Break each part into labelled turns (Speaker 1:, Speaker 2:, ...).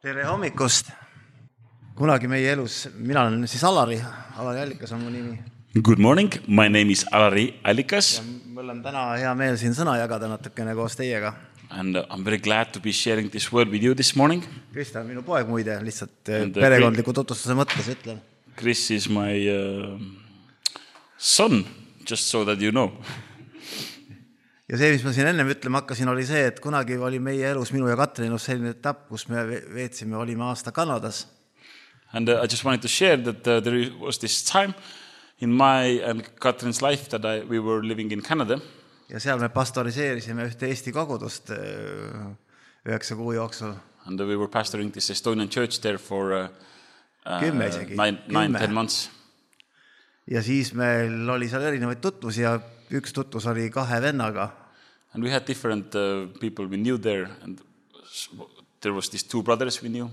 Speaker 1: Tere hommikust! Kunagi meie elus, mina olen siis Alari Allikas on mu nimi.
Speaker 2: Good morning, my name is Alari Allikas.
Speaker 1: Mul on täna hea meel siin sõna jagada natukene koos teiega.
Speaker 2: And I'm very glad to be sharing this word with you this morning.
Speaker 1: Krista on minu poeg muide, lihtsalt perekondliku tutvustuse mõttes ütlen.
Speaker 2: Chris is my son, just so that you know.
Speaker 1: Ja see, mis ma siin ennem ütlema hakkasin, oli see, et kunagi oli meie elus minu ja Katrinus selline etapp, kus me veetsime, olime aasta Kanadas.
Speaker 2: And I just wanted to share that there was this time in my and Katrin's life that we were living in Canada.
Speaker 1: Ja seal me pastoriseerisime ühte Eesti kogudust 9 kuu jooksul.
Speaker 2: And we were pastoring this Estonian church there for 9-10 months.
Speaker 1: Ja siis meil oli seal erinevaid tutvusi ja üks tutvus oli 2 vennaga.
Speaker 2: And we had different people we knew there, and there was these 2 brothers we knew.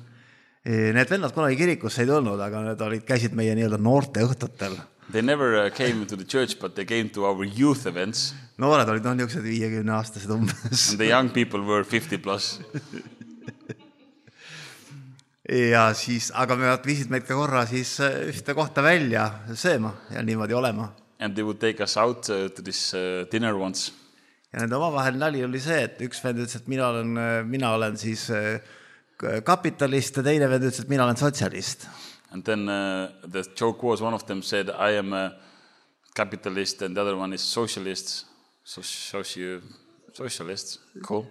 Speaker 1: Need vennad kunagi kirikusse ei tulnud, aga need käisid meie nii-öelda noorte õhtutel.
Speaker 2: They never came to the church, but they came to our youth events.
Speaker 1: Noored olid niisugused 50-aastased umbes.
Speaker 2: And the young people were 50 plus.
Speaker 1: Ja siis, aga me viisid meid ka korra siis ühte kohta välja sööma ja niimoodi olema.
Speaker 2: And they would take us out to this dinner once.
Speaker 1: Ja nende omavahel nali oli see, et üks vend ütles, et mina olen siis kapitalist ja teine vend ütles, et mina olen sotsialist.
Speaker 2: And then the joke was, one of them said, I am a capitalist, and the other one is socialist. Socialist, cool.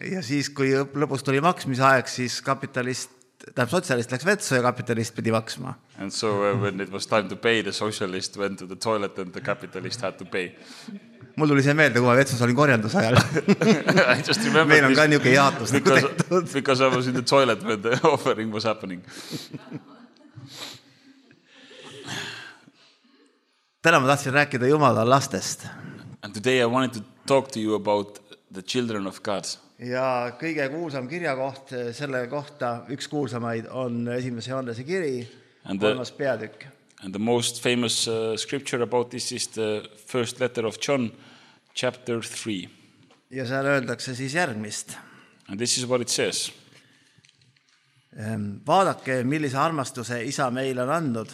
Speaker 1: Ja siis, kui lõpus tuli maksmise aeg, siis sotsialist läks vetsu ja kapitalist pidi maksma.
Speaker 2: And so when it was time to pay, the socialist went to the toilet and the capitalist had to pay.
Speaker 1: Mul tuli see meelde, kui ma vetsus olin korjandusajal.
Speaker 2: I just remember
Speaker 1: meil on ka niisugune jaatus.
Speaker 2: Because I was in the toilet when the offering was happening.
Speaker 1: Täna ma tahtsin rääkida Jumala lastest.
Speaker 2: And today I wanted to talk to you about the children of God.
Speaker 1: Ja kõige kuulsam kirjakoht selle kohta, üks kuulsamaid on 1. Johannese kiri, 3. peatükk.
Speaker 2: And the most famous scripture about this is the first letter of John, chapter 3.
Speaker 1: Ja seal öeldakse siis järgmist.
Speaker 2: And this is what it says.
Speaker 1: Vaadake, millise armastuse Isa meile on andnud.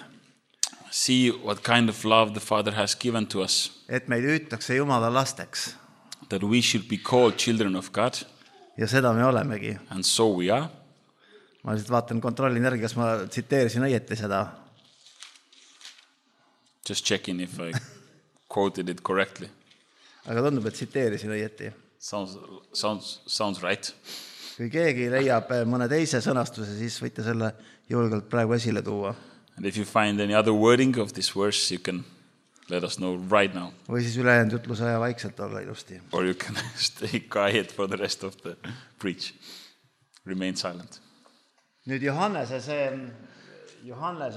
Speaker 2: See what kind of love the Father has given to us.
Speaker 1: Et meid hüütakse Jumala lasteks.
Speaker 2: That we should be called children of God.
Speaker 1: Ja seda me olemegi.
Speaker 2: And so we are.
Speaker 1: Ma lihtsalt vaatan kontrollin järgi, kas ma tsiteerisin õieti seda.
Speaker 2: Just checking if I quoted it correctly.
Speaker 1: Aga tundub, et tsiteerisin õieti.
Speaker 2: Sounds right.
Speaker 1: Kui keegi leiab mõne teise sõnastuse, siis võite selle julgelt praegu esile tuua.
Speaker 2: And if you find any other wording of this verse, you can let us know right now.
Speaker 1: Või siis ülejäänud jutluse aja vaikselt olla ilusti.
Speaker 2: Or you can stay quiet for the rest of the preach. Remain silent.
Speaker 1: Nüüd Johannese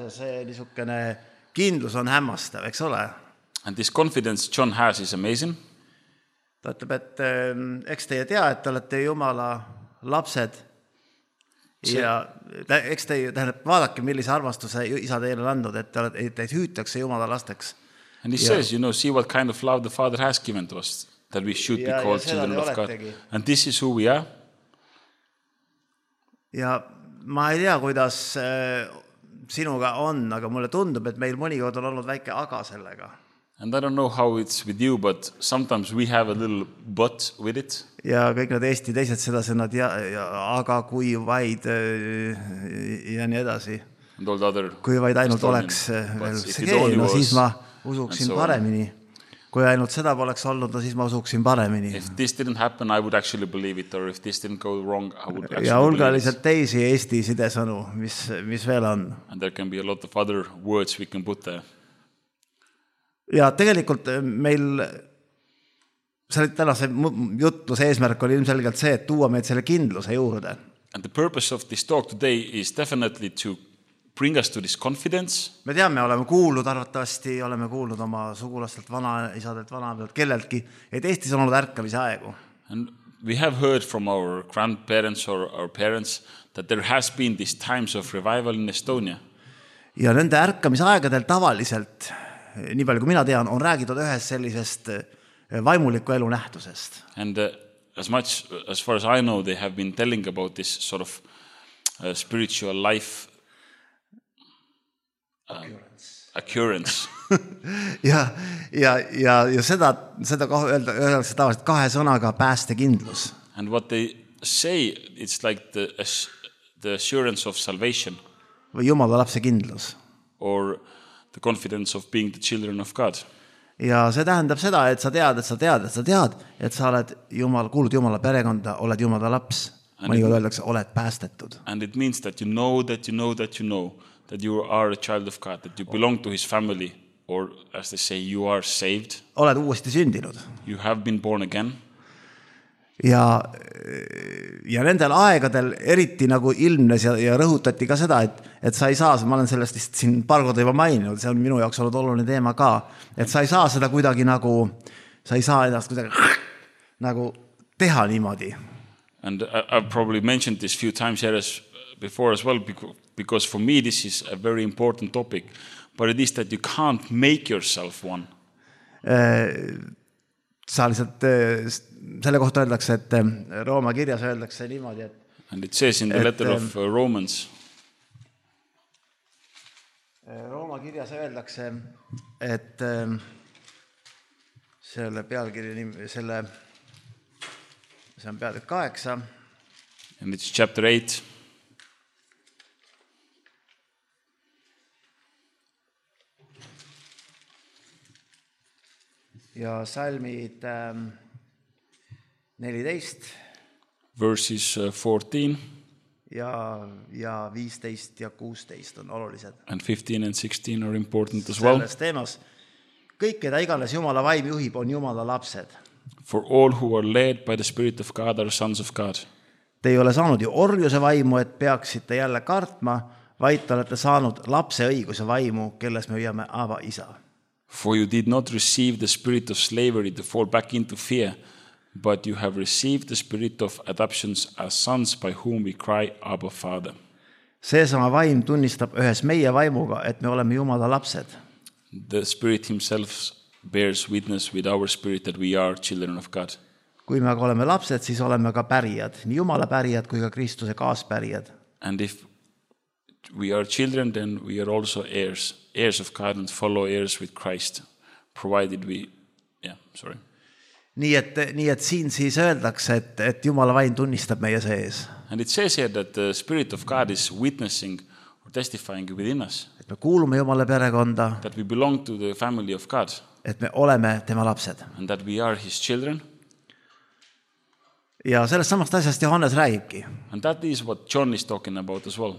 Speaker 1: see niisugune kindlus on hämmastav, eks ole?
Speaker 2: And this confidence John has is amazing.
Speaker 1: Ta ütleb, et eks teie tea, et te olete Jumala lapsed. Ja eks teie, vaadake, millise armastuse Isa teile on andnud, et teid hüütakse Jumala lasteks.
Speaker 2: And he says, see what kind of love the Father has given to us, that we should be called children of God. And this is who we are.
Speaker 1: Ja ma ei tea, kuidas sinuga on, aga mulle tundub, et meil mõnikord on olnud väike aga sellega.
Speaker 2: And I don't know how it's with you, but sometimes we have a little but with it.
Speaker 1: Ja kõik need Eesti teised sedasõnad, aga kui vaid ja nii edasi. Kui vaid ainult oleks veel see no siis ma usuksin paremini. Kui ainult seda poleks olnud, siis ma usuksin paremini.
Speaker 2: If this didn't happen, I would actually believe it, or if this didn't go wrong, I would actually
Speaker 1: ja hulgaliselt teisi Eesti sidesõnu, mis veel on.
Speaker 2: And there can be a lot of other words we can put there.
Speaker 1: Ja tegelikult meil tänase jutluse eesmärk oli ilmselgelt see, et tuua meid selle kindluse juurde.
Speaker 2: And the purpose of this talk today is definitely to bring us to this confidence.
Speaker 1: Me teame, oleme kuulnud oma sugulastelt, vanaisadelt, vanaemadelt, kelleltki, et Eestis on olnud ärkamise aegu.
Speaker 2: And we have heard from our grandparents or our parents that there has been these times of revival in Estonia.
Speaker 1: Ja nende ärkamise aegadel tavaliselt, nii palju kui mina tean, on räägitud ühest sellisest vaimuliku elu nähtusest.
Speaker 2: And as far as I know, they have been telling about this sort of spiritual life occurrence.
Speaker 1: ja seda öeldakse tavaliselt kahe sõnaga päästekindlus.
Speaker 2: And what they say, it's like the assurance of salvation.
Speaker 1: Või Jumala lapse kindlus.
Speaker 2: Or the confidence of being the children of God.
Speaker 1: Ja see tähendab seda, et sa tead, et sa oled kuulud Jumala perekonda, oled Jumala laps. Mõnikord öeldakse, oled päästetud.
Speaker 2: And it means that you know that you are a child of God, that you belong to his family, or as they say, you are saved.
Speaker 1: Oled uuesti sündinud.
Speaker 2: You have been born again.
Speaker 1: Ja nendel aegadel eriti nagu ilmnes ja rõhutati ka seda, et sa ei saa, ma olen sellest siin paar korda juba maininud, see on minu jaoks olnud oluline teema ka, et sa ei saa seda kuidagi nagu, sa ei saa ennast kuidagi nagu teha niimoodi.
Speaker 2: And I've probably mentioned this few times here before as well, because for me this is a very important topic, but it is that you can't make yourself one.
Speaker 1: Sa lihtsalt selle kohta öeldakse, et Rooma kirjas öeldakse niimoodi, et
Speaker 2: and it says in the letter of Romans.
Speaker 1: Rooma kirjas öeldakse, et selle pealkirja nimi, see on peatükk 8.
Speaker 2: And it's chapter 8.
Speaker 1: Ja salmid 14.
Speaker 2: Verses 14.
Speaker 1: Ja 15 ja 16 on olulised.
Speaker 2: And 15 and 16 are important as well.
Speaker 1: Selles teemas, kõik, keda iganes Jumala vaim juhib, on Jumala lapsed.
Speaker 2: For all who are led by the Spirit of God are sons of God.
Speaker 1: Te ei ole saanud ju orjuse vaimu, et peaksite jälle kartma, vaid te olete saanud lapse õiguse vaimu, kelles me hüüame Aba isa.
Speaker 2: For you did not receive the spirit of slavery to fall back into fear, but you have received the spirit of adoptions as sons by whom we cry, Abba, Father.
Speaker 1: Seesama vaim tunnistab ühes meie vaimuga, et me oleme Jumala lapsed.
Speaker 2: The Spirit himself bears witness with our spirit that we are children of God.
Speaker 1: Kui me aga oleme lapsed, siis oleme ka pärijad, nii Jumala pärijad kui ka Kristuse kaaspärijad.
Speaker 2: And if we are children, then we are also heirs of God and follow heirs with Christ, provided we,
Speaker 1: Nii et siin siis öeldakse, et Jumala vaim tunnistab meie sees.
Speaker 2: And it says here that the Spirit of God is witnessing or testifying within us.
Speaker 1: Et me kuulume Jumala perekonda.
Speaker 2: That we belong to the family of God.
Speaker 1: Et me oleme tema lapsed.
Speaker 2: And that we are his children.
Speaker 1: Ja sellest samast asjast Johannes räägibki.
Speaker 2: And that is what John is talking about as well.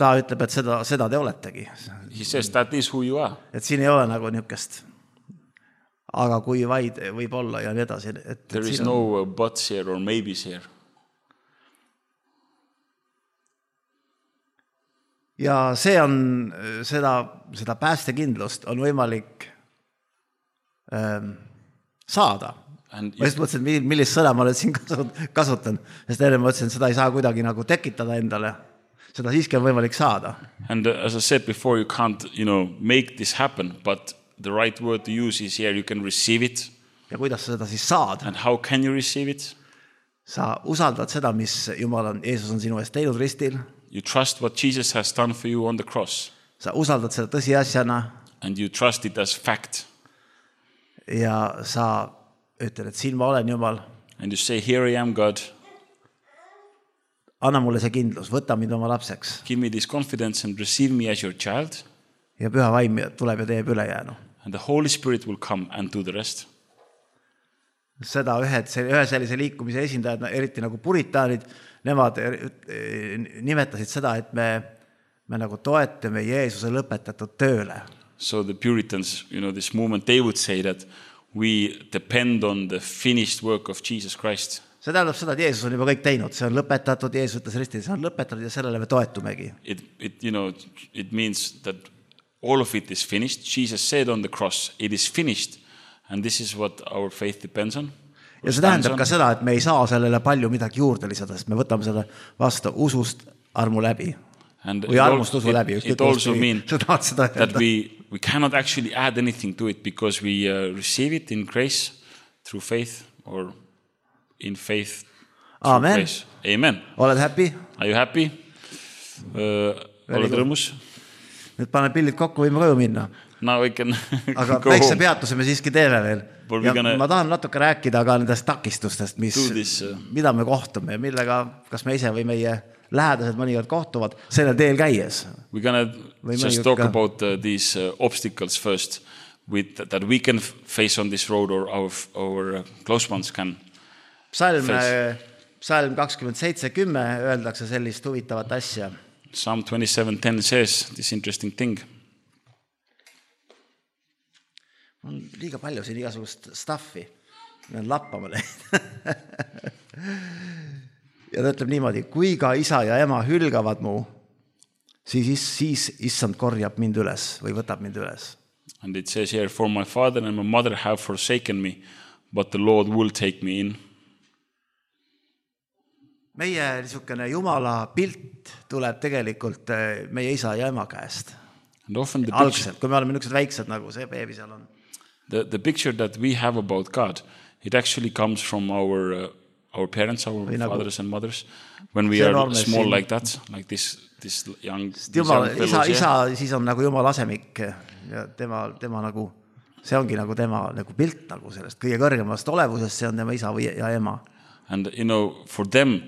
Speaker 1: Ta ütleb, et seda te oletegi.
Speaker 2: He says that is who you are.
Speaker 1: Et siin ei ole nagu niukest, aga kui vaid võib olla ja nii edasi.
Speaker 2: There is no buts here or maybes here.
Speaker 1: Ja see on seda päästekindlust on võimalik saada. Ma just mõtlesin, millist sõna ma nüüd siin kasutan, sest enne mõtlesin, seda ei saa kuidagi nagu tekitada endale. Seda siiski on võimalik saada.
Speaker 2: And as I said before, you can't, make this happen, but the right word to use is here, you can receive it.
Speaker 1: Ja kuidas sa seda siis saad?
Speaker 2: And how can you receive it?
Speaker 1: Sa usaldad seda, mis Jeesus on sinu eest teinud ristil.
Speaker 2: You trust what Jesus has done for you on the cross.
Speaker 1: Sa usaldad seda tõsiasjana.
Speaker 2: And you trust it as fact.
Speaker 1: Ja sa ütled, et siin ma olen, Jumal.
Speaker 2: And you say, here I am, God.
Speaker 1: Anna mulle see kindlus, võta mind oma lapseks.
Speaker 2: Give me this confidence and receive me as your child.
Speaker 1: Ja püha vaim tuleb ja teeb ülejäänu.
Speaker 2: And the Holy Spirit will come and do the rest.
Speaker 1: Seda ühe sellise liikumise esindajad, eriti nagu puritaanid, nemad nimetasid seda, et me nagu toetame Jeesuse lõpetatud tööle.
Speaker 2: So the Puritans, this movement, they would say that we depend on the finished work of Jesus Christ.
Speaker 1: See tähendab seda, et Jeesus on juba kõik teinud. See on lõpetatud, Jeesus ütles ristil, see on lõpetatud ja sellele me toetumegi.
Speaker 2: It means that all of it is finished. Jesus said on the cross, it is finished. And this is what our faith depends on.
Speaker 1: Ja see tähendab ka seda, et me ei saa sellele palju midagi juurde lisada, sest me võtame seda vastu usust armu läbi. Või armust usu läbi.
Speaker 2: It also means that we cannot actually add anything to it because we receive it in grace through faith or in faith.
Speaker 1: Amen.
Speaker 2: Amen.
Speaker 1: Oled happy?
Speaker 2: Are you happy? Oled rõõmus?
Speaker 1: Nüüd pane pillid kokku, võime koju minna.
Speaker 2: Now we can
Speaker 1: aga väikse peatuse me siiski teeme veel. Ja ma tahan natuke rääkida ka nendest takistustest, mida me kohtume ja millega kas me ise või meie lähedased mõnikord kohtuvad selle teel käies.
Speaker 2: We're gonna just talk about these obstacles first that we can face on this road or our close ones can face. Psalm 27:10 öeldakse sellist huvitavat asja. Psalm 27:10 says this interesting thing.
Speaker 1: On liiga palju siin igasugust stuffi. Need lappama neid. Ja ta ütleb niimoodi, kui ka isa ja ema hülgavad mu, siis issand korjab mind üles või võtab mind üles.
Speaker 2: And it says here, for my father and my mother have forsaken me, but the Lord will take me in.
Speaker 1: Meie niisugune Jumala pilt tuleb tegelikult meie isa ja ema käest. Algselt, kui me oleme niisugused väiksed, nagu see beebi seal on.
Speaker 2: The picture that we have about God, it actually comes from our parents, our fathers and mothers, when we are small like that, like this young
Speaker 1: isa siis on nagu Jumala asemik ja tema nagu, see ongi nagu tema nagu pilt nagu sellest kõige kõrgemast olevusest, see on tema isa ja ema.
Speaker 2: And you know, for them,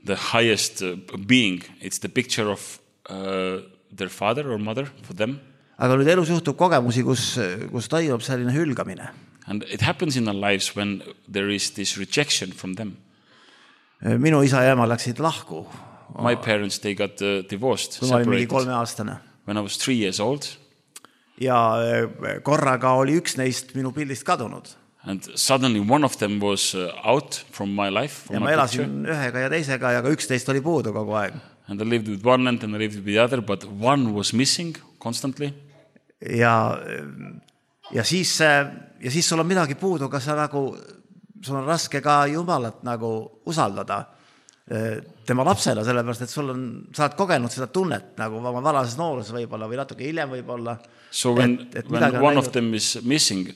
Speaker 2: the highest being, it's the picture of their father or mother for them.
Speaker 1: Aga nüüd elus juhtub kogemusi, kus toimub selline hülgamine.
Speaker 2: And it happens in our lives when there is this rejection from them.
Speaker 1: Minu isa ja ema läksid lahku.
Speaker 2: My parents, they got divorced,
Speaker 1: separated. Ma olin mingi 3-aastane.
Speaker 2: When I was 3 years old.
Speaker 1: Ja korraga oli üks neist minu pildist kadunud.
Speaker 2: And suddenly one of them was out from my life.
Speaker 1: Ja ma elasin ühega ja teisega ja ka 11 oli puudu kogu aeg.
Speaker 2: And I lived with one and I lived with the other, but one was missing constantly.
Speaker 1: Ja siis sul on midagi puudu, kas sul on raske ka Jumalat nagu usaldada tema lapsena, sellepärast, et sa oled kogenud seda tunnet nagu oma varases noores võib-olla või natuke hiljem võib-olla.
Speaker 2: So when one of them is missing,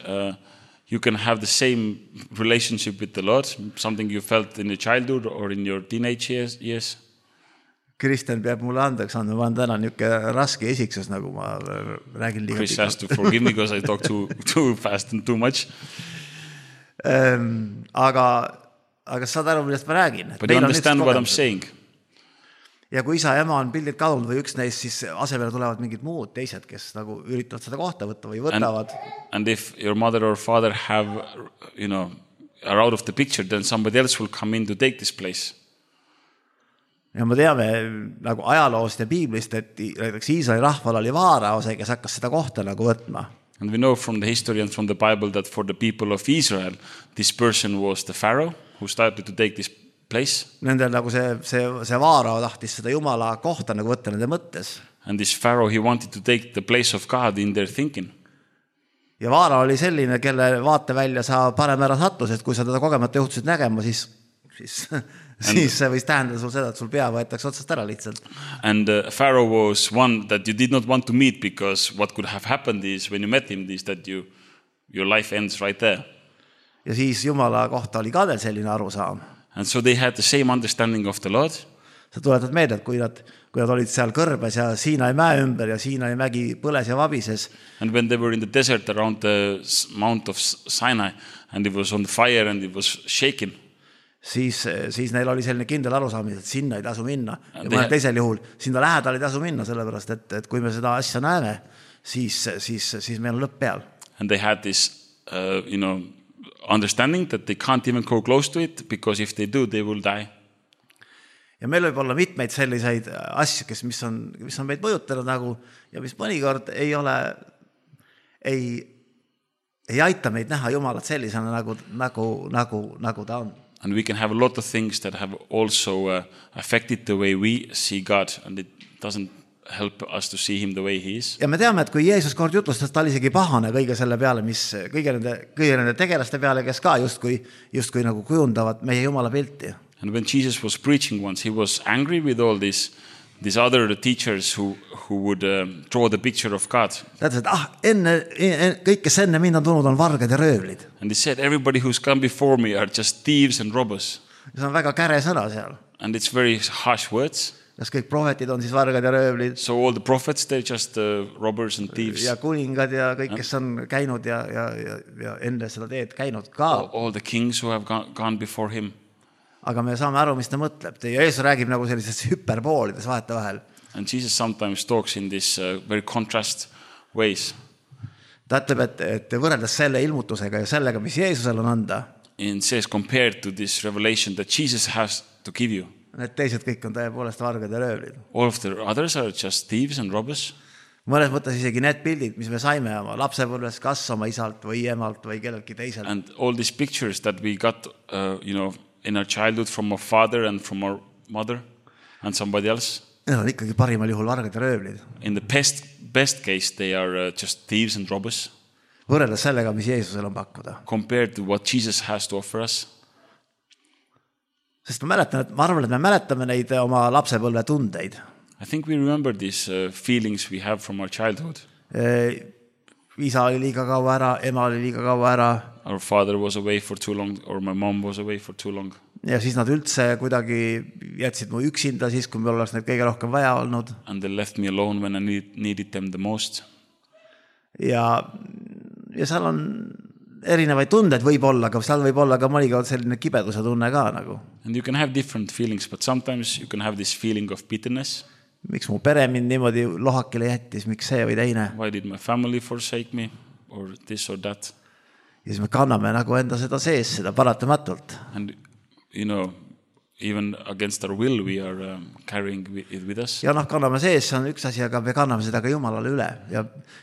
Speaker 2: you can have the same relationship with the Lord, something you felt in your childhood or in your teenage years.
Speaker 1: Kristen peab mulle andeks andma, ma olen täna niisugune raske esiksus, nagu ma räägin liiga
Speaker 2: Chris has to forgive me because I talk too fast and too much.
Speaker 1: Aga saad aru, millest ma räägin.
Speaker 2: But you understand what I'm saying.
Speaker 1: Ja kui isa ja ema on pildid kadunud või üks neist, siis asemele tulevad mingid muud teised, kes nagu üritavad seda kohta võtta või võtavad.
Speaker 2: And if your mother or father are out of the picture, then somebody else will come in to take this place.
Speaker 1: Ja me teame nagu ajaloost ja piiblist, et Iisraeli rahval oli vaaraose, kes hakkas seda kohta nagu võtma.
Speaker 2: And we know from the history and from the Bible that for the people of Israel, this person was the Pharaoh who started to take this place.
Speaker 1: Nendel nagu see vaarao tahtis seda Jumala kohta nagu võtta nende mõttes.
Speaker 2: And this Pharaoh, he wanted to take the place of God in their thinking.
Speaker 1: Ja vaarao oli selline, kelle vaate välja sa parem ära sattus, et kui sa teda kogemata juhtusid nägema, siis see võis tähendada sul seda, et sul pea võetakse otsast ära lihtsalt.
Speaker 2: And Pharaoh was one that you did not want to meet because what could have happened is when you met him is that your life ends right there.
Speaker 1: Ja siis Jumala kohta oli ka veel selline arusaam.
Speaker 2: And so they had the same understanding of the Lord.
Speaker 1: Sa tuletad meelde, et kui nad olid seal kõrbes ja Siinai mäe ümber ja Siinai mägi põles ja vabises.
Speaker 2: And when they were in the desert around the Mount of Sinai and it was on fire and it was shaking. Siis neil oli selline kindel arusaamine, et sinna ei tasu minna. Ja mõnel teisel juhul sinna lähedal ei tasu minna, sellepärast, et kui me seda asja näeme, siis meil on lõpp peal. And they had this, understanding that they can't even go close to it because if they do, they will die.
Speaker 1: Ja meil võib olla mitmeid selliseid asju, mis on meid mõjutanud nagu, ja mis mõnikord ei aita meid näha Jumalat sellisena nagu ta on.
Speaker 2: And we can have a lot of things that have also affected the way we see God, and it doesn't help us to see him the way he is.
Speaker 1: Ja me teame, et kui Jeesus kord jutlustas, ta oli isegi pahane kõige selle peale, kõige nende tegelaste peale, kes ka justkui nagu kujundavad meie Jumala pilti.
Speaker 2: And when Jesus was preaching once, he was angry with all these other teachers who would draw the picture of God.
Speaker 1: Tähendab, et kõik, kes enne mind on tulnud, on vargad ja röövlid.
Speaker 2: And he said, everybody who's come before me are just thieves and robbers.
Speaker 1: See on väga käre sõna seal.
Speaker 2: And it's very harsh words.
Speaker 1: Kas kõik prohvetid on siis vargad ja röövlid?
Speaker 2: So all the prophets, they're just robbers and thieves.
Speaker 1: Ja kuningad ja kõik, kes on käinud ja enne seda teed käinud ka.
Speaker 2: All the kings who have gone before him.
Speaker 1: Aga me saame aru, mis ta mõtleb. Ja Jeesus räägib nagu sellises hüperboolides vahetevahel.
Speaker 2: And Jesus sometimes talks in this very contrast ways.
Speaker 1: Ta ütleb, et võrreldes selle ilmutusega ja sellega, mis Jeesusel on anda.
Speaker 2: And says compared to this revelation that Jesus has to give you.
Speaker 1: Need teised kõik on tõepoolest vargad ja röövlid.
Speaker 2: All of the others are just thieves and robbers.
Speaker 1: Mõnes mõttes isegi need pildid, mis me saime oma lapsepõlves kas oma isalt või emalt või kelleltki teiselt.
Speaker 2: And all these pictures that we got, in our childhood from our father and from our mother and somebody else.
Speaker 1: Need on ikkagi parimal juhul vargad ja röövlid.
Speaker 2: In the best case, they are just thieves and robbers.
Speaker 1: Võrreldes sellega, mis Jeesusel on pakkuda.
Speaker 2: Compared to what Jesus has to offer us.
Speaker 1: Sest ma arvan, et me mäletame neid oma lapsepõlve tundeid.
Speaker 2: I think we remember these feelings we have from our childhood.
Speaker 1: Isa oli liiga kaua ära, ema oli liiga kaua ära.
Speaker 2: Our father was away for too long or my mom was away for too long.
Speaker 1: Ja siis nad üldse kuidagi jätsid mu üksinda siis, kui me oleks neid kõige rohkem vaja olnud.
Speaker 2: And they left me alone when I needed them the most.
Speaker 1: Ja seal on erinevaid tunded võib-olla, aga seal võib olla ka mõnikord selline kibeduse tunne ka nagu.
Speaker 2: And you can have different feelings, but sometimes you can have this feeling of bitterness.
Speaker 1: Miks mu pere mind niimoodi lohakile jättis, miks see või teine?
Speaker 2: Why did my family forsake me or this or that?
Speaker 1: Ja siis me kanname nagu enda seda sees, seda paratamatult.
Speaker 2: And even against our will we are carrying it with us.
Speaker 1: Ja kanname sees, see on üks asi, aga me kanname seda ka Jumalale üle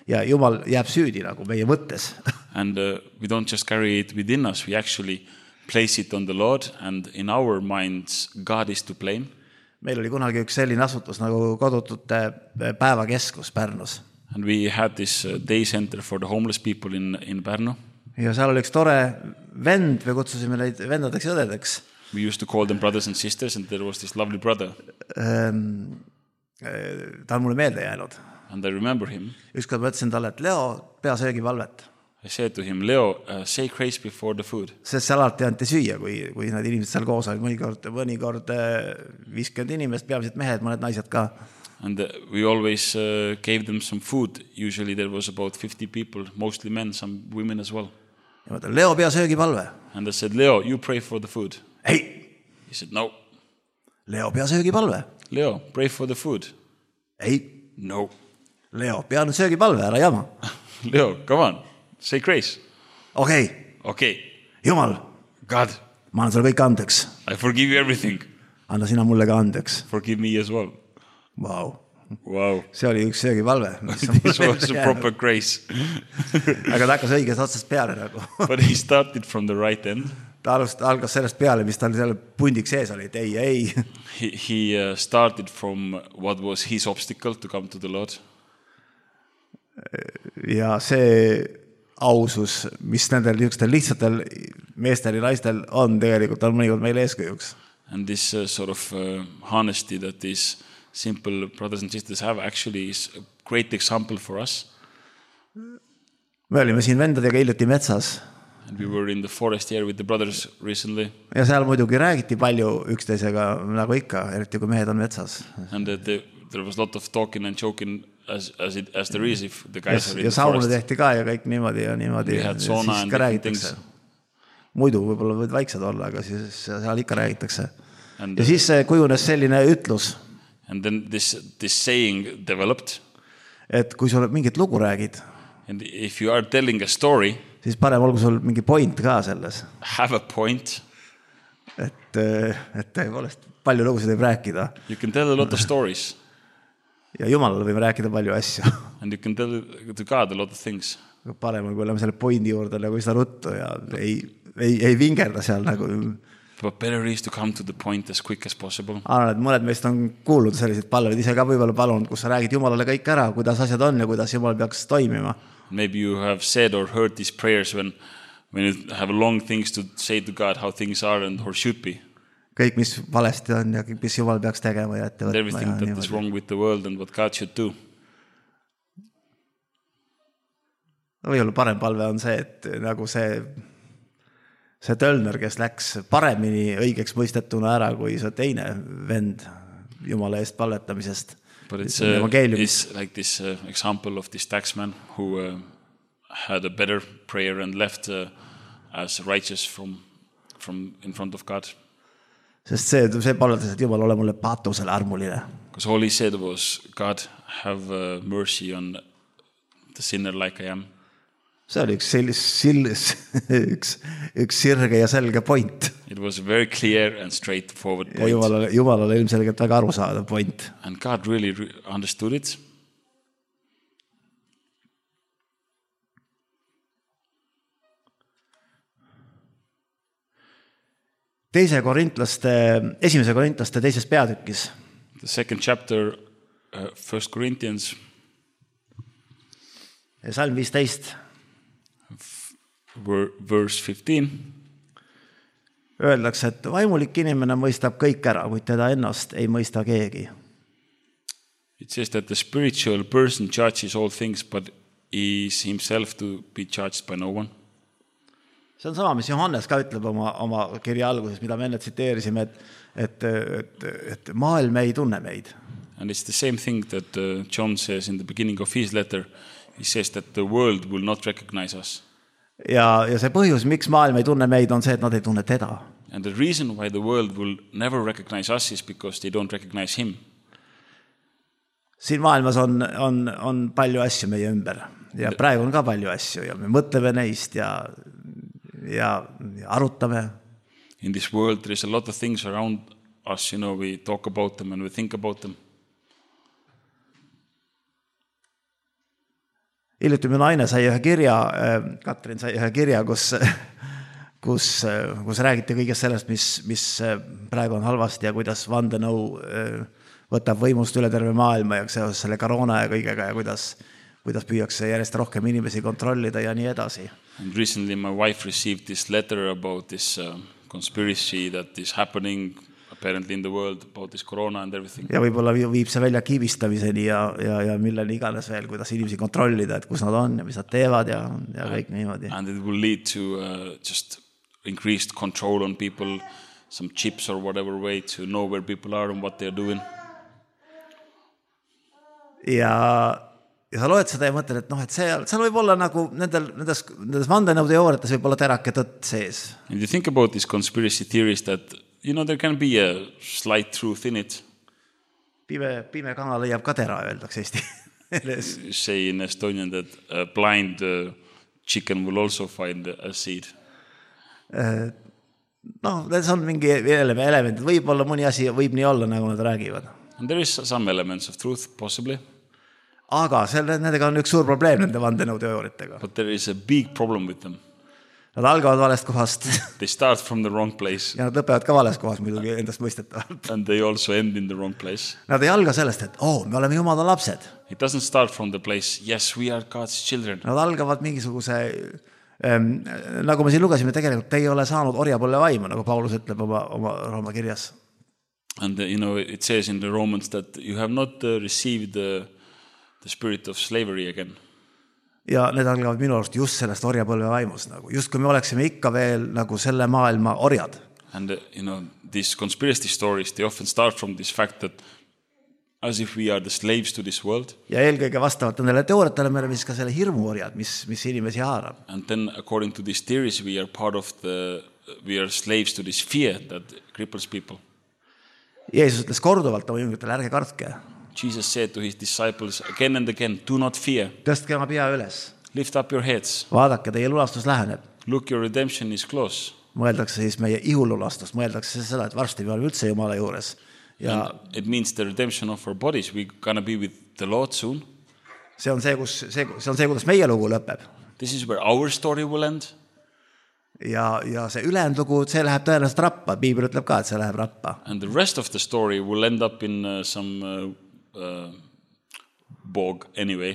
Speaker 1: ja Jumal jääb süüdi nagu meie mõttes.
Speaker 2: And we don't just carry it within us, we actually place it on the Lord and in our minds God is to blame.
Speaker 1: Meil oli kunagi üks selline asutus nagu kodutute päevakeskus Pärnus.
Speaker 2: And we had this day center for the homeless people in Pärnu.
Speaker 1: Ja seal oli üks tore vend, me kutsusime neid vendadeks ja õdedeks.
Speaker 2: We used to call them brothers and sisters and there was this lovely brother.
Speaker 1: Ta on mulle meelde jäänud.
Speaker 2: And I remember him.
Speaker 1: Ükskord ma ütlesin talle, et Leo, pea söögipalvet.
Speaker 2: I said to him, Leo, say grace before the food.
Speaker 1: Sest seal alati anti süüa, kui need inimesed seal koos olid. Mõnikord 50 inimest, peamiselt mehed, mõned naised ka.
Speaker 2: And we always gave them some food. Usually there was about 50 people, mostly men, some women as well.
Speaker 1: Ja ma ütlen, Leo, pea söögipalve.
Speaker 2: And I said, Leo, you pray for the food.
Speaker 1: Ei.
Speaker 2: He said, no.
Speaker 1: Leo, pea söögipalve.
Speaker 2: Leo, pray for the food.
Speaker 1: Ei.
Speaker 2: No.
Speaker 1: Leo, pea nüüd söögipalve, ära jama.
Speaker 2: Leo, come on, say grace.
Speaker 1: Okay. Jumal.
Speaker 2: God.
Speaker 1: Ma annan sulle kõik andeks.
Speaker 2: I forgive you everything.
Speaker 1: Anna sina mulle ka andeks.
Speaker 2: Forgive me as well.
Speaker 1: Wow.
Speaker 2: See
Speaker 1: oli üks söögipalve.
Speaker 2: This was a proper grace.
Speaker 1: Aga ta hakkas õigest otsast peale nagu.
Speaker 2: But he started from the right end.
Speaker 1: Ta algas sellest peale, mis tal seal pundiks sees oli, et ei.
Speaker 2: He started from what was his obstacle to come to the Lord.
Speaker 1: Ja see ausus, mis nendel lihtsatel meestel ja naistel on tegelikult, on mõnikord meil eeskujuks.
Speaker 2: And this sort of honesty that these simple brothers and sisters have actually is a great example for us.
Speaker 1: Me olime siin vendadega hiljuti metsas.
Speaker 2: And we were in the forest here with the brothers recently.
Speaker 1: Ja seal muidugi räägiti palju üksteisega, nagu ikka, eriti kui mehed on metsas.
Speaker 2: And there was a lot of talking and joking as there is if the guys are in the forest.
Speaker 1: Ja sauna tehti ka ja kõik niimoodi ja niimoodi.
Speaker 2: We had sauna and different things.
Speaker 1: Muidu võib-olla võid vaiksed olla, aga siis seal ikka räägitakse. Ja siis kujunes selline ütlus.
Speaker 2: And then this saying developed.
Speaker 1: Et kui sul mingit lugu räägid.
Speaker 2: And if you are telling a story.
Speaker 1: Siis parem olgu sul mingi point ka selles.
Speaker 2: Have a point.
Speaker 1: Et tõepoolest palju lugusid võib rääkida.
Speaker 2: You can tell a lot of stories.
Speaker 1: Ja Jumalale võime rääkida palju asju.
Speaker 2: And you can tell to God a lot of things.
Speaker 1: Parem on, kui oleme selle pointi juurde nagu seda ruttu ja ei vingerda seal nagu.
Speaker 2: But better is to come to the point as quick as possible.
Speaker 1: Arvan, et mõned meist on kuulnud selliseid palveid ise ka võib-olla palunud, kus sa räägid Jumalale kõik ära, kuidas asjad on ja kuidas Jumal peaks toimima.
Speaker 2: Maybe you have said or heard these prayers when you have long things to say to God how things are and or should be.
Speaker 1: Kõik, mis valesti on ja mis Jumal peaks tegema ja ette võtma.
Speaker 2: Everything that is wrong with the world and what God should do.
Speaker 1: Või parem palve on see, et nagu see see Tölner, kes läks paremini õigeks mõistetuna ära kui see teine vend Jumala eest palvetamisest.
Speaker 2: But it's like this example of this taxman who had a better prayer and left as righteous from in front of God.
Speaker 1: Sest see palvetas, et Jumal, ole mulle patusele armuline.
Speaker 2: Because all he said was, God, have mercy on the sinner like I am.
Speaker 1: See oli üks sirge ja selge point.
Speaker 2: It was a very clear and straightforward point.
Speaker 1: Ja Jumalale ilmselgelt väga arusaadav point.
Speaker 2: And God really understood it.
Speaker 1: Esimese Korintlaste teises peatükis.
Speaker 2: The second chapter, 1 Corinthians.
Speaker 1: Salm 15.
Speaker 2: Verse 15.
Speaker 1: Öeldakse, et vaimulik inimene mõistab kõik ära, kuid teda ennast ei mõista keegi.
Speaker 2: It says that the spiritual person judges all things, but is himself to be judged by no one.
Speaker 1: See on sama, mis Johannes ka ütleb oma kirja alguses, mida me enne tsiteerisime, et maailm ei tunne meid.
Speaker 2: And it's the same thing that John says in the beginning of his letter. He says that the world will not recognize us.
Speaker 1: Ja see põhjus, miks maailm ei tunne meid, on see, et nad ei tunne teda.
Speaker 2: And the reason why the world will never recognize us is because they don't recognize him.
Speaker 1: Siin maailmas on palju asju meie ümber. Ja praegu on ka palju asju ja me mõtleme neist ja arutame.
Speaker 2: In this world there is a lot of things around us, we talk about them and we think about them.
Speaker 1: Hiljuti minu naine sai ühe kirja, Katrin sai ühe kirja, kus räägiti kõigest sellest, mis praegu on halvasti ja kuidas vandenõu võtab võimust üle terve maailma ja seoses selle koroona ja kõigega ja kuidas püüakse järjest rohkem inimesi kontrollida ja nii edasi.
Speaker 2: And recently my wife received this letter about this conspiracy that is happening apparently in the world about this corona and everything.
Speaker 1: Ja võib-olla viib see välja kiibistamiseni ja milleni iganes veel, kuidas inimesi kontrollida, et kus nad on ja mis nad teevad ja kõik niimoodi.
Speaker 2: And it will lead to just increased control on people, some chips or whatever way to know where people are and what they are doing.
Speaker 1: Ja sa loed seda ja mõtled, et seal võib olla nagu nendes vandenõuteooriates võib olla terake tõtt sees.
Speaker 2: And you think about these conspiracy theories that there can be a slight truth in it.
Speaker 1: Pime kana leiab ka tera, öeldakse Eesti.
Speaker 2: Say in Estonian that a blind chicken will also find a seed.
Speaker 1: See on mingi element. Võib-olla mõni asi võib nii olla, nagu nad räägivad.
Speaker 2: And there is some elements of truth, possibly.
Speaker 1: Aga nendega on üks suur probleem, nende vandenõuteooriatega.
Speaker 2: But there is a big problem with them.
Speaker 1: Nad algavad valest kohast.
Speaker 2: They start from the wrong place.
Speaker 1: Ja nad lõpevad ka valest kohas muidugi endast mõistetavalt.
Speaker 2: And they also end in the wrong place.
Speaker 1: Nad ei alga sellest, et me oleme Jumala lapsed.
Speaker 2: It doesn't start from the place, yes, we are God's children.
Speaker 1: Nad algavad mingisuguse, nagu me siin lugesime, tegelikult te ei ole saanud orjapõlve vaimu, nagu Paulus ütleb oma Rooma kirjas.
Speaker 2: And it says in the Romans that you have not received the spirit of slavery again.
Speaker 1: Ja need algavad minu arust just sellest orjapõlve vaimust, just kui me oleksime ikka veel nagu selle maailma orjad.
Speaker 2: And these conspiracy stories, they often start from this fact that as if we are the slaves to this world.
Speaker 1: Ja eelkõige vastavalt nendele teooriatele me oleme siis ka selle hirmu orjad, mis inimesi haarab.
Speaker 2: And then according to these theories we are we are slaves to this fear that cripples people.
Speaker 1: Jeesus ütles korduvalt oma jüngritele, ärge kartke.
Speaker 2: Jesus said to his disciples again and again, do not fear.
Speaker 1: Tõstke oma pea üles.
Speaker 2: Lift up your heads.
Speaker 1: Vaadake, teie lulastus läheneb.
Speaker 2: Look, your redemption is close.
Speaker 1: Mõeldakse siis meie ihululastust, mõeldakse seda, et varsti me oleme üldse Jumala juures. Ja
Speaker 2: it means the redemption of our bodies. We're gonna be with the Lord soon.
Speaker 1: See on see, kuidas meie lugu lõpeb.
Speaker 2: This is where our story will end.
Speaker 1: Ja see ülejäänud lugu, see läheb tõenäoliselt rappa. Piibel ütleb ka, et see läheb rappa.
Speaker 2: And the rest of the story will end up in some bog anyway.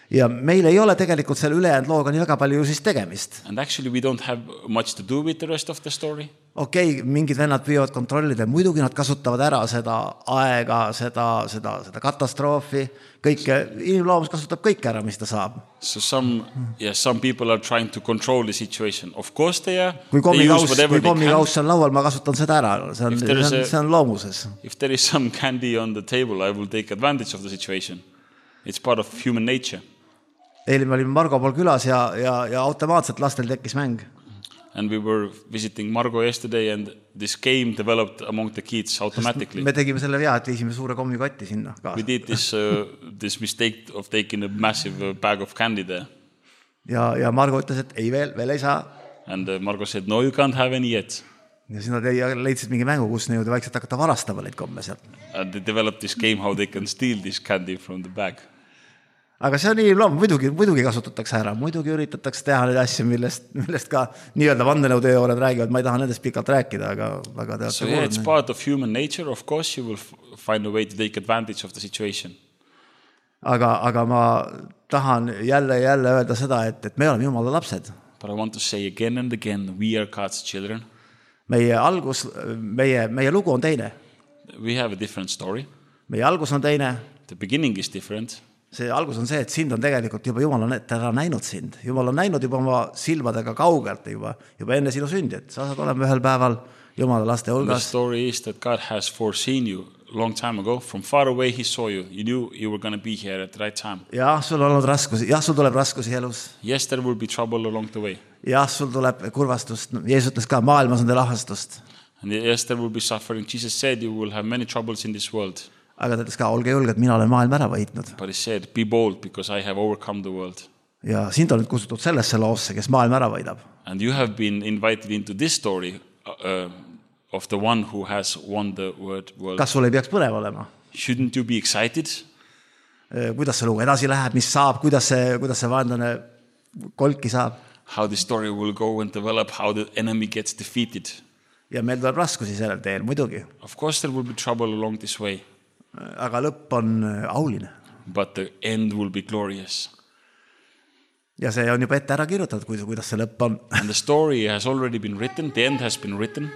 Speaker 1: Ja meil ei ole tegelikult selle ülejäänud looga nii väga palju siis tegemist.
Speaker 2: And actually we don't have much to do with the rest of the story.
Speaker 1: okei, mingid vennad püüavad kontrollida, muidugi nad kasutavad ära seda aega, seda katastroofi, kõike, inimloomus kasutab kõik ära, mis ta saab.
Speaker 2: So some people are trying to control the situation. Of course they are.
Speaker 1: Kui kommikaus on laual, ma kasutan seda ära. See on loomuses.
Speaker 2: If there is some candy on the table, I will take advantage of the situation. It's part of human nature.
Speaker 1: Eile me olime Margo pool külas ja automaatselt lastel tekkis mäng.
Speaker 2: And we were visiting Margo yesterday and this game developed among the kids automatically.
Speaker 1: Me tegime selle vea, et viisime suure kommikotti sinna kaasa.
Speaker 2: We did this mistake of taking a massive bag of candy there.
Speaker 1: Ja Margo ütles, et ei veel ei saa.
Speaker 2: And Margo said, no, you can't have any yet.
Speaker 1: Ja siis nad leidsid mingi mängu, kus ne jõuda vaikselt hakata varastama neid komme sealt.
Speaker 2: And they developed this game how they can steal this candy from the bag.
Speaker 1: Aga see on inimloom, muidugi kasutatakse ära, muidugi üritatakse teha neid asju, millest ka nii-öelda vandenõuteooriad räägivad, ma ei taha nendest pikalt rääkida, aga väga teate.
Speaker 2: So yeah, it's part of human nature, of course you will find a way to take advantage of the situation.
Speaker 1: Aga ma tahan jälle öelda seda, et me oleme Jumala lapsed.
Speaker 2: But I want to say again and again, we are God's children.
Speaker 1: Meie lugu on teine.
Speaker 2: We have a different story.
Speaker 1: Meie algus on teine.
Speaker 2: The beginning is different.
Speaker 1: See algus on see, et sind on tegelikult juba Jumal on ära näinud sind. Jumal on näinud juba oma silmadega kaugelt juba enne sinu sündi, et sa saad olema ühel päeval Jumala laste hulgas.
Speaker 2: The story is that God has foreseen you long time ago. From far away he saw you. You knew you were going to be here at the right time.
Speaker 1: Jah, sul on olnud raskusi. Jah, sul tuleb raskusi elus.
Speaker 2: Yes, there will be trouble along the way.
Speaker 1: Jah, sul tuleb kurvastust. Jeesus ütles ka, maailmas on teil ahastust.
Speaker 2: And yes, there will be suffering. Jesus said you will have many troubles in this world.
Speaker 1: Aga ta ütles ka, olge julged, mina olen maailma ära võitnud.
Speaker 2: But he said, be bold because I have overcome the world.
Speaker 1: Ja sind on nüüd kutsutud sellesse loosse, kes maailma ära võidab.
Speaker 2: And you have been invited into this story of the one who has won the world.
Speaker 1: Kas sul ei peaks põnev olema?
Speaker 2: Shouldn't you be excited?
Speaker 1: Kuidas see lugu edasi läheb, mis saab, kuidas see vaenlane kolki saab?
Speaker 2: How the story will go and develop, how the enemy gets defeated.
Speaker 1: Ja meil tuleb raskusi sellel teel, muidugi.
Speaker 2: Of course there will be trouble along this way.
Speaker 1: Aga lõpp on auline.
Speaker 2: But the end will be glorious.
Speaker 1: Ja see on juba ette ära kirjutatud, kuidas see lõpp on.
Speaker 2: And the story has already been written. The end has been written.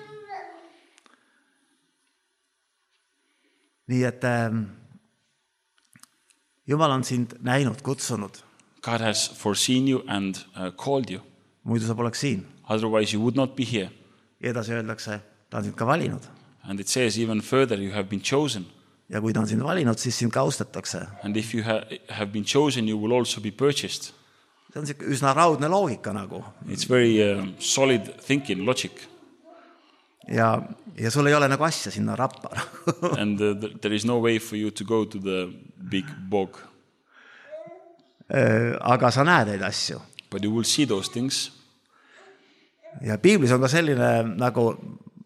Speaker 1: Nii et Jumal on sind näinud, kutsunud.
Speaker 2: God has foreseen you and called you.
Speaker 1: Muidu sa poleks siin.
Speaker 2: Otherwise you would not be here.
Speaker 1: Ja edasi öeldakse, ta on sind ka valinud.
Speaker 2: And it says even further, you have been chosen.
Speaker 1: Ja kui ta on sind valinud, siis sind ka austatakse.
Speaker 2: And if you have been chosen, you will also be purchased.
Speaker 1: See on üsna raudne loogika nagu.
Speaker 2: It's very solid thinking, logic.
Speaker 1: Ja sul ei ole nagu asja sinna rappa.
Speaker 2: And there is no way for you to go to the big bog.
Speaker 1: Aga sa näed neid asju.
Speaker 2: But you will see those things.
Speaker 1: Ja Piiblis on ka selline nagu,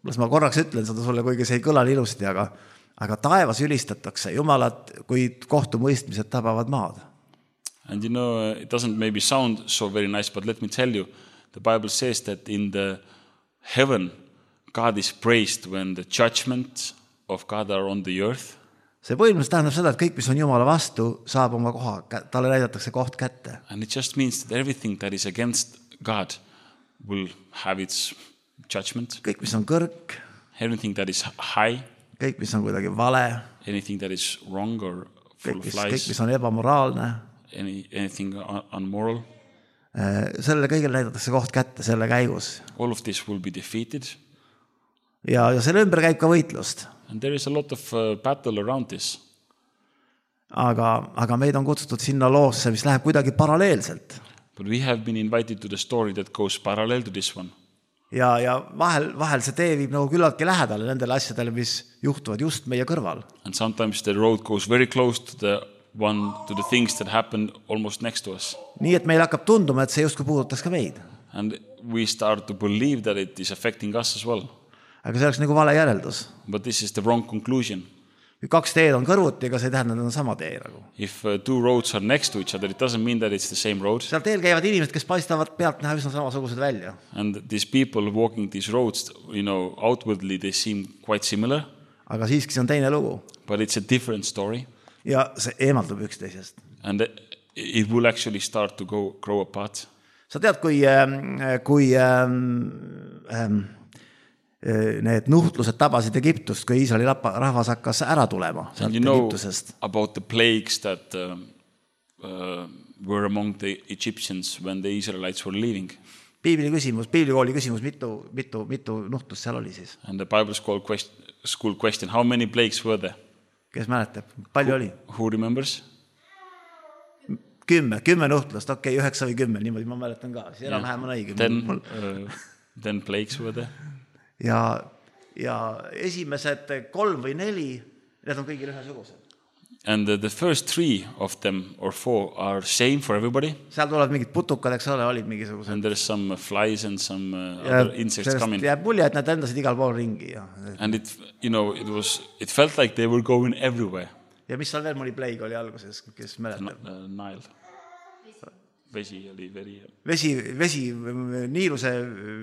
Speaker 1: las ma korraks ütlen seda sulle, kuigi see ei kõla ilusti, aga taevas ülistatakse Jumalat, kui kohtumõistmised tabavad maad.
Speaker 2: And you know, it doesn't maybe sound so very nice, but let me tell you, the Bible says that in the heaven, God is praised when the judgment of God are on the earth.
Speaker 1: See põhimõtteliselt tähendab seda, et kõik, mis on Jumala vastu, saab oma koha, talle näidatakse koht kätte.
Speaker 2: And it just means that everything that is against God will have its judgment.
Speaker 1: Kõik, mis on kõrg.
Speaker 2: Everything that is high.
Speaker 1: Kõik, mis on kuidagi vale.
Speaker 2: Anything that is wrong or full of lies.
Speaker 1: Kõik, mis on ebamoraalne.
Speaker 2: Anything unmoral.
Speaker 1: Selle kõigil näidatakse koht kätte selle käigus.
Speaker 2: All of this will be defeated.
Speaker 1: Ja selle ümber käib ka võitlust.
Speaker 2: And there is a lot of battle around this.
Speaker 1: Aga meid on kutsutud sinna loosse, mis läheb kuidagi paralleelselt.
Speaker 2: But we have been invited to the story that goes parallel to this one.
Speaker 1: Ja vahel see tee viib nagu küllaltki lähedale nendele asjadele, mis juhtuvad just meie kõrval.
Speaker 2: And sometimes the road goes very close to the things that happen almost next to us.
Speaker 1: Nii et meil hakkab tunduma, et see justkui puudutas ka meid.
Speaker 2: And we start to believe that it is affecting us as well.
Speaker 1: Aga see oleks nagu vale järeldus.
Speaker 2: But this is the wrong conclusion.
Speaker 1: Kui kaks teed on kõrvuti, ega see ei tähenda, et on sama tee nagu.
Speaker 2: If two roads are next to each other, it doesn't mean that it's the same road.
Speaker 1: Seal teel käivad inimesed, kes paistavad pealt näha üsna samasugused välja.
Speaker 2: And these people walking these roads, outwardly they seem quite similar.
Speaker 1: Aga siiski see on teine lugu.
Speaker 2: But it's a different story.
Speaker 1: Ja see eemaldub üksteisest.
Speaker 2: And it will actually start to grow apart.
Speaker 1: Sa tead, kui need nuhtlused tabasid Egiptust, kui Iisraeli rahvas hakkas ära tulema sealt Egiptusest.
Speaker 2: About the plagues that were among the Egyptians when the Israelites were leaving.
Speaker 1: Piiblikooli küsimus, mitu nuhtlust seal oli siis?
Speaker 2: And the Bible school question, how many plagues were there?
Speaker 1: Kes mäletab? Palju oli?
Speaker 2: Who remembers?
Speaker 1: 10 nuhtlust, 9 või 10, niimoodi ma mäletan ka. See enam-vähem on õige.
Speaker 2: 10 plagues were there.
Speaker 1: Ja esimesed 3 või 4, need on kõigil ühesugused.
Speaker 2: And the first 3 of them or 4 are same for everybody.
Speaker 1: Seal tulevad mingid putukad, eks ole, olid mingisugused.
Speaker 2: And there's some flies and some other insects coming.
Speaker 1: Jääb mulje, et nad endasid igal pool ringi. Ja.
Speaker 2: And it felt like they were going everywhere.
Speaker 1: Ja mis seal veel mõni plague oli alguses, kes mäletab?
Speaker 2: Nile. Vesi oli veri.
Speaker 1: Niiluse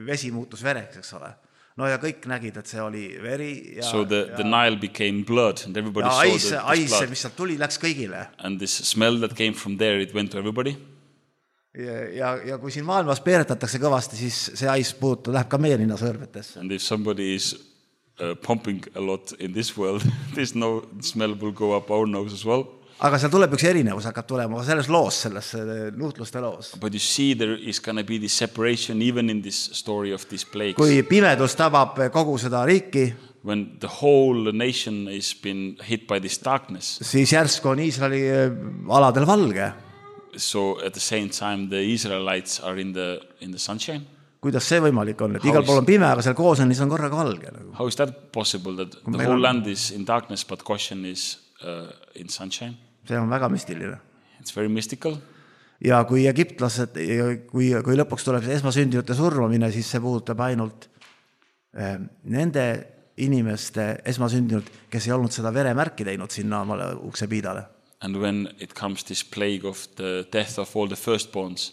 Speaker 1: vesi muutus vereks, eks ole. No ja kõik nägid, et see oli veri.
Speaker 2: So the Nile became blood and everybody saw this blood.
Speaker 1: Mis sealt tuli, läks kõigile.
Speaker 2: And this smell that came from there, it went to everybody.
Speaker 1: Ja kui siin maailmas peeretatakse kõvasti, siis see ais läheb ka meie ninna sõrmetesse.
Speaker 2: And if somebody is pumping a lot in this world, this smell will go up our nose as well.
Speaker 1: Aga seal tuleb üks erinevus, hakkab tulema selles loos, selles nuhtluste loos.
Speaker 2: But you see there is going to be this separation even in this story of these plagues.
Speaker 1: Kui pimedus tabab kogu seda riiki,
Speaker 2: when the whole nation is been hit by this darkness,
Speaker 1: siis järsku on Iisraeli aladel valge.
Speaker 2: So at the same time the Israelites are in the sunshine.
Speaker 1: Kuidas see võimalik on, et igal pool on pime, aga seal koos on, siis on korraga valge.
Speaker 2: How is that possible that the whole land is in darkness but Goshen is in sunshine?
Speaker 1: See on väga müstiline.
Speaker 2: It's very mystical.
Speaker 1: Ja kui egiptlased, kui lõpuks tuleb see esmasündinute surmamine, siis see puudutab ainult nende inimeste esmasündinut, kes ei olnud seda veremärki teinud sinna omale ukse piidale.
Speaker 2: And when it comes this plague of the death of all the firstborns,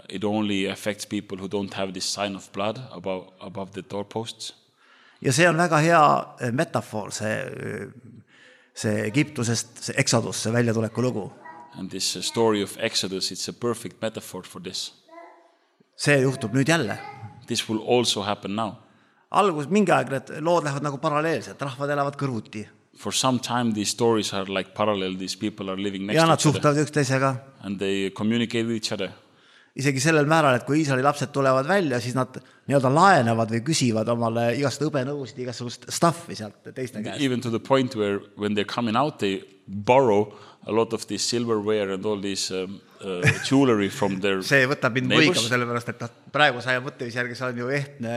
Speaker 2: it only affects people who don't have this sign of blood above the doorposts.
Speaker 1: Ja see on väga hea metafoor, see Egiptusest, see Exodus, see väljatuleku lugu.
Speaker 2: And this story of Exodus, it's a perfect metaphor for this.
Speaker 1: See juhtub nüüd jälle.
Speaker 2: This will also happen now.
Speaker 1: Mingi aeg need lood lähevad nagu paralleelselt, rahvad elavad kõrvuti.
Speaker 2: For some time these stories are like parallel, these people are living next
Speaker 1: to each other. Ja
Speaker 2: nad
Speaker 1: suhtlevad üksteisega.
Speaker 2: And they communicate with each other.
Speaker 1: Isegi sellel määral, et kui Iisraeli lapsed tulevad välja, siis nad nii-öelda laenevad või küsivad omale igast õbenõusid, igasugust stuffi sealt teiste käest.
Speaker 2: Even to the point where when they're coming out, they borrow a lot of this silverware and all this jewelry from their
Speaker 1: see võtab mind võigama sellepärast, et praegu saja mõttevis järgi see on ju ehtne,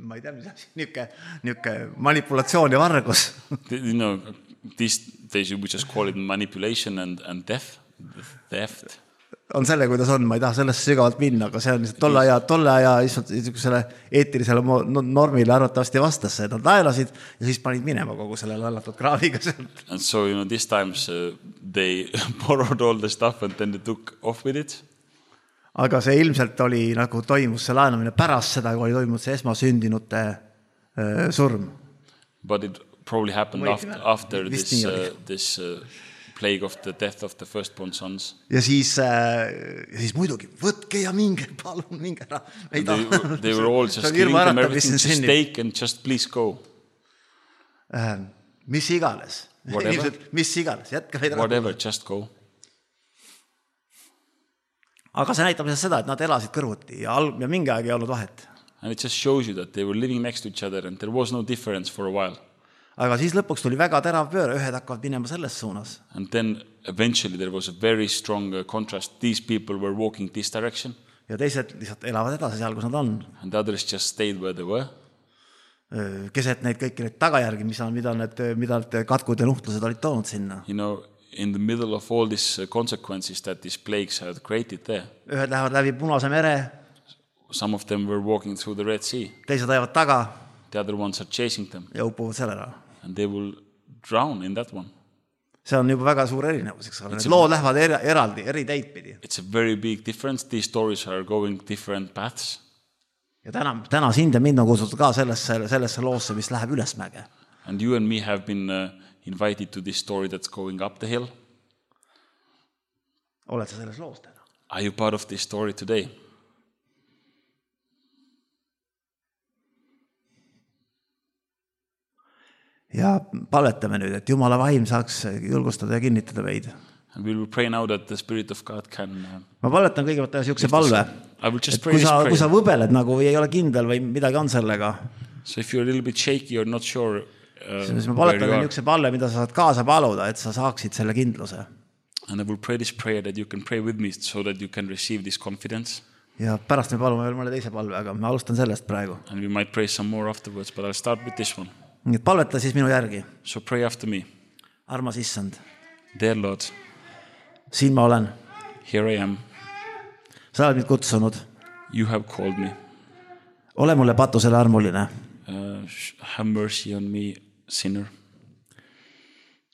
Speaker 1: ma ei tea, mis niuke manipulatsioon ja vargus.
Speaker 2: You know, these days we just call it manipulation and theft.
Speaker 1: On selle, kuidas on, ma ei taha sellest sügavalt minna, aga see on tolle aja selle eetilisele normile arvatavasti vastasse, et nad laelasid ja siis panid minema kogu selle lallatud kraaviga sealt.
Speaker 2: And so, these times they borrowed all the stuff and then they took off with it.
Speaker 1: Aga see ilmselt oli nagu toimus see laenamine pärast seda, kui oli toimunud see esmasündinute surm.
Speaker 2: But it probably happened after this plague of the death of the firstborn sons.
Speaker 1: Ja siis muidugi, võtke ja minge, palun minge ära.
Speaker 2: They were all just giving them everything to stake and just please go.
Speaker 1: Mis iganes. Mis iganes, jätka meid ära.
Speaker 2: Whatever, just go.
Speaker 1: Aga see näitab seda, et nad elasid kõrvuti ja mingi aeg ei olnud vahet.
Speaker 2: And it just shows you that they were living next to each other and there was no difference for a while.
Speaker 1: Aga siis lõpuks tuli väga terav pööre, ühed hakkavad minema selles suunas.
Speaker 2: And then eventually there was a very strong contrast. These people were walking this direction.
Speaker 1: Ja teised lihtsalt elavad edasi seal, kus nad on.
Speaker 2: And the others just stayed where they were.
Speaker 1: Keset neid kõiki neid tagajärgi, mida need katkud ja nuhtlused olid toonud sinna.
Speaker 2: In the middle of all these consequences that these plagues had created there.
Speaker 1: Ühed lähevad läbi Punase mere.
Speaker 2: Some of them were walking through the Red Sea.
Speaker 1: Teised ajavad taga.
Speaker 2: The other ones are chasing them.
Speaker 1: Ja upuvad sellele.
Speaker 2: And they will drown in that one.
Speaker 1: See on juba väga suur erinevus, eks ole. Need lood lähevad eraldi, eri teid pidi.
Speaker 2: It's a very big difference. These stories are going different paths.
Speaker 1: Ja täna sind ja mind on kutsutud ka sellesse loosse, mis läheb ülesmäge.
Speaker 2: And you and me have been invited to this story that's going up the hill.
Speaker 1: Oled sa selles loos täna?
Speaker 2: Are you part of this story today?
Speaker 1: Ja palvetame nüüd, et Jumala vaim saaks julgustada ja kinnitada meid.
Speaker 2: And we will pray now that the Spirit of God can...
Speaker 1: Ma palvetan kõigepealt teha siukse palve, et kui sa võbeled nagu või ei ole kindel või midagi on sellega.
Speaker 2: So if you're a little bit shaky or not sure
Speaker 1: siis ma palvetan niisuguse palve, mida sa saad kaasa paluda, et sa saaksid selle kindluse.
Speaker 2: And I will pray this prayer that you can pray with me so that you can receive this confidence.
Speaker 1: Ja pärast me palume veel mõne teise palve, aga ma alustan sellest praegu.
Speaker 2: And we might pray some more afterwards, but I'll start with this one.
Speaker 1: Nii et palveta siis minu järgi.
Speaker 2: So pray after me.
Speaker 1: Armas issand.
Speaker 2: Dear Lord.
Speaker 1: Siin ma olen.
Speaker 2: Here I am.
Speaker 1: Sa oled mind kutsunud.
Speaker 2: You have called me.
Speaker 1: Ole mulle patusele armuline.
Speaker 2: Have mercy on me, sinner.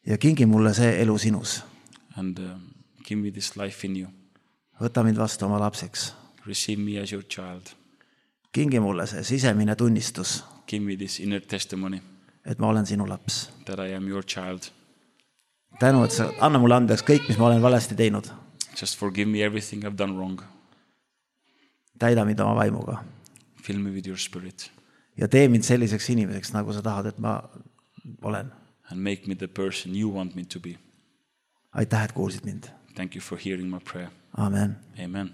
Speaker 1: Ja kingi mulle see elu sinus.
Speaker 2: And give me this life in you.
Speaker 1: Võta mind vastu oma lapseks.
Speaker 2: Receive me as your child.
Speaker 1: Kingi mulle see sisemine tunnistus.
Speaker 2: Give me this inner testimony.
Speaker 1: Et ma olen sinu laps.
Speaker 2: That I am your child.
Speaker 1: Tänu, et sa anna mulle andeks kõik, mis ma olen valesti teinud.
Speaker 2: Just forgive me everything I've done wrong.
Speaker 1: Täida mind oma vaimuga.
Speaker 2: Fill me with your spirit.
Speaker 1: Ja tee mind selliseks inimeseks, nagu sa tahad, et ma olen.
Speaker 2: And make me the person you want me to be.
Speaker 1: Aitäh, et kuulsid mind.
Speaker 2: Thank you for hearing my prayer.
Speaker 1: Amen.
Speaker 2: Amen.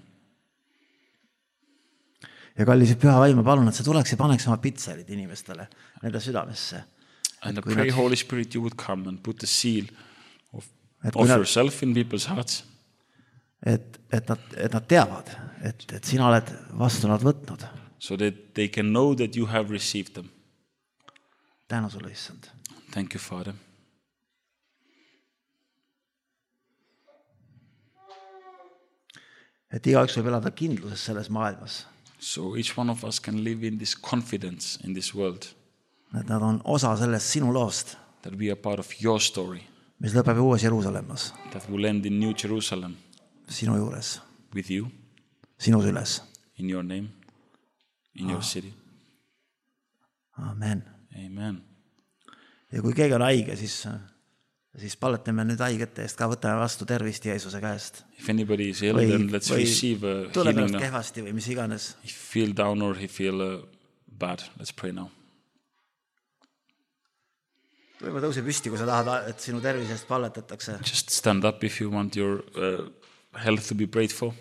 Speaker 1: Ja kallis püha vaim, ma palun, et sa tuleks ja paneks oma pitserid inimestele nende südamesse.
Speaker 2: And I pray, Holy Spirit, you would come and put the seal of yourself in people's hearts.
Speaker 1: Et nad teavad, et sina oled vastu nad võtnud.
Speaker 2: So that they can know that you have received them.
Speaker 1: Tänu sulle, issand.
Speaker 2: Thank you, Father.
Speaker 1: Et igaüks võib elada kindluses selles maailmas.
Speaker 2: So each one of us can live in this confidence in this world.
Speaker 1: Et nad on osa sellest sinu loost.
Speaker 2: That we are part of your story.
Speaker 1: Mis lõpeb uues Jeruusalemmas.
Speaker 2: That will end in New Jerusalem.
Speaker 1: Sinu juures.
Speaker 2: With you.
Speaker 1: Sinu süles.
Speaker 2: In your name. In your city.
Speaker 1: Amen.
Speaker 2: Amen.
Speaker 1: Ja kui keegi on haige, siis palvetame nüüd haigete eest ka, võtame vastu tervist Jeesuse käest.
Speaker 2: If anybody is ill, then let's receive a healing.
Speaker 1: Tuleb ennast kehvasti või mis iganes.
Speaker 2: If you feel down or you feel bad, let's pray now.
Speaker 1: Võivad tõuse püsti, kui sa tahad, et sinu tervisest palletatakse.
Speaker 2: Just stand up if you want your health to be prayed for.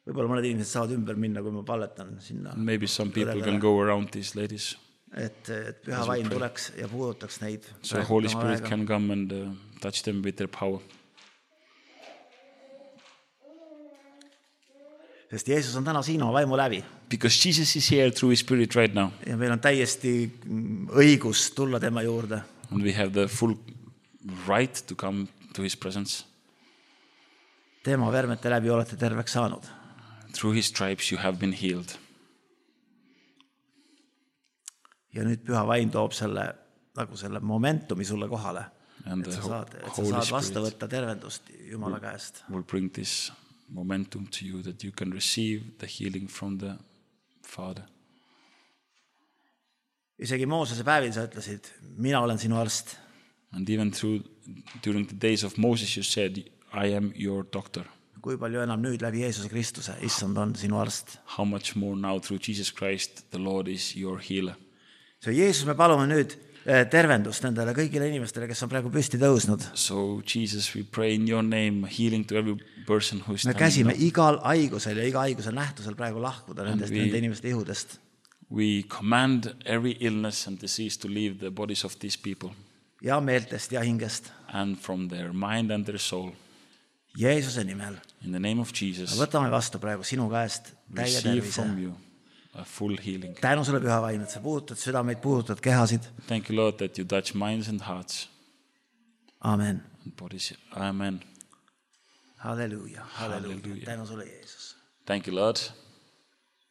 Speaker 2: Võib-olla mõned inimesed saavad ümber minna, kui ma palletan sinna. Maybe some people can go around these ladies.
Speaker 1: Et püha vaim tuleks ja puudutaks neid.
Speaker 2: So Holy Spirit can come and touch them with their power.
Speaker 1: Sest Jeesus on täna siin oma vaimu läbi.
Speaker 2: Because Jesus is here through His Spirit right now.
Speaker 1: Ja meil on täiesti õigus tulla tema juurde.
Speaker 2: And we have the full right to come to His presence.
Speaker 1: Tema vermete läbi olete terveks saanud.
Speaker 2: Through His stripes you have been healed.
Speaker 1: Ja nüüd püha vaim toob selle momentumi sulle kohale. Et sa saad vastu võtta tervendust Jumala käest.
Speaker 2: Will bring this momentum to you that you can receive the healing from the Father.
Speaker 1: Isegi Moosese päevil sa ütlesid, mina olen sinu arst.
Speaker 2: And even during the days of Moses you said, I am your doctor.
Speaker 1: Kui palju enam nüüd läbi Jeesuse Kristuse, issand on sinu arst.
Speaker 2: How much more now through Jesus Christ, the Lord is your healer.
Speaker 1: So Jeesus, me palume nüüd tervendust nendele kõigile inimestele, kes on praegu püsti tõusnud.
Speaker 2: So Jesus, we pray in your name, healing to every person who is standing up.
Speaker 1: Me käsime igal haigusel ja iga haiguse nähtusel praegu lahkuda nende inimeste ihudest.
Speaker 2: We command every illness and disease to leave the bodies of these people.
Speaker 1: Ja meeltest ja hingest.
Speaker 2: And from their mind and their soul.
Speaker 1: Jeesuse nimel.
Speaker 2: In the name of Jesus.
Speaker 1: Võtame vastu praegu sinu käest täie tervise.
Speaker 2: Receive from you a full healing.
Speaker 1: Tänu sulle püha vaim, et sa puudutad südameid, puudutad kehasid.
Speaker 2: Thank you, Lord, that you touch minds and hearts.
Speaker 1: Amen.
Speaker 2: And bodies. Amen.
Speaker 1: Halleluja. Halleluja. Tänu sulle, Jeesus.
Speaker 2: Thank you, Lord.